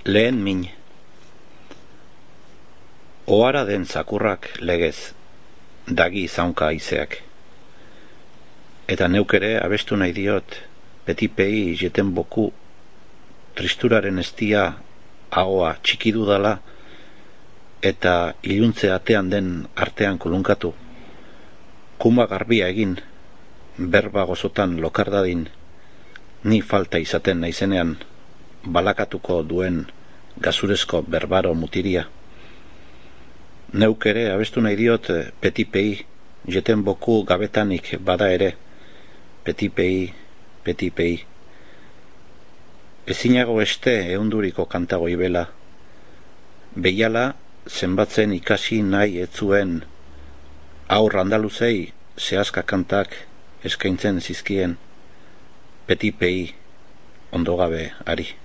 Lehen min. Ohara den zakurrak legez, dagi zaunka haizeak. Eta neuk ere abestu nahi diot, petipei jeten boku, tristuraren estia ahoa txiki dudala, eta iluntze atean den artean kulunkatu. Kuma garbia egin, berba gozotan lokardadin, ni falta izaten naizenean, balakatuko duen gazurezko berbaro mutiria. Neuk ere abestu nahi diot petipei, jeten boku gabetanik bada ere, petipei, petipei. Ezinago este eunduriko kantago ibela, behiala zenbatzen ikasi nahi etzuen, aur andaluzei zehazka kantak eskaintzen zizkien, petipei ondogabe ari.